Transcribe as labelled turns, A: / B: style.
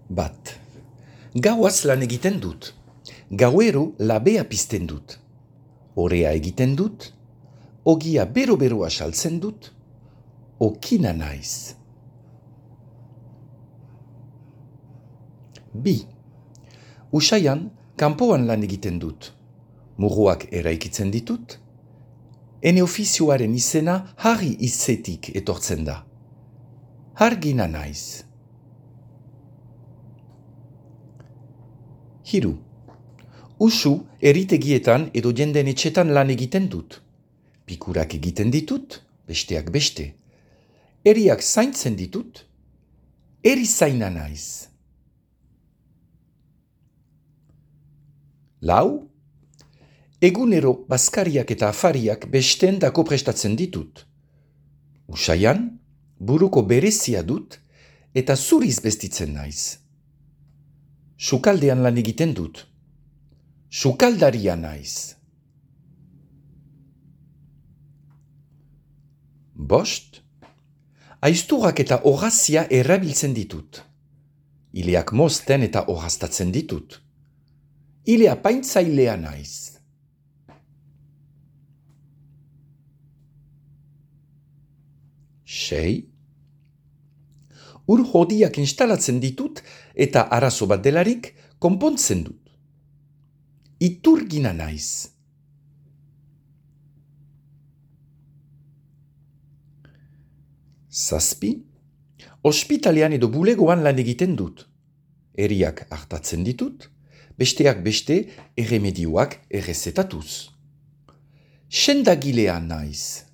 A: Bat. Gauaz lan egiten dut. Gauero labea pizten dut. Orea egiten dut. Ogia bero-beroa saltzen dut. Okina naiz. Bi. Usaian, kanpoan lan egiten dut. Muruak eraikitzen ditut. Ene ofizioaren izena harri izetik etortzen da. Hargina naiz. Hiru. Usu eritegietan edo jenden etxetan lan egiten dut. Pikurak egiten ditut, besteak beste. Eriak zaintzen ditut, erizaina naiz. Lau. Egunero bazkariak eta afariak besteen dako prestatzen ditut. Usaian, buruko berezia dut eta zuriz bestitzen naiz. Sukaldean lan egiten dut. Sukaldaria naiz. Bost. Aizturak eta orrazia erabiltzen ditut. Ileak mozten eta orraztatzen ditut. Ilea paintzailea naiz. Sei. Ur hodiak instalatzen ditut eta arazo bat delarik konpontzen dut. Iturgina naiz. Zazpi. Ospitalean edo bulegoan lan egiten dut. Eriak hartatzen ditut, besteak beste erremedioak errezetatuz. Sendagilea naiz.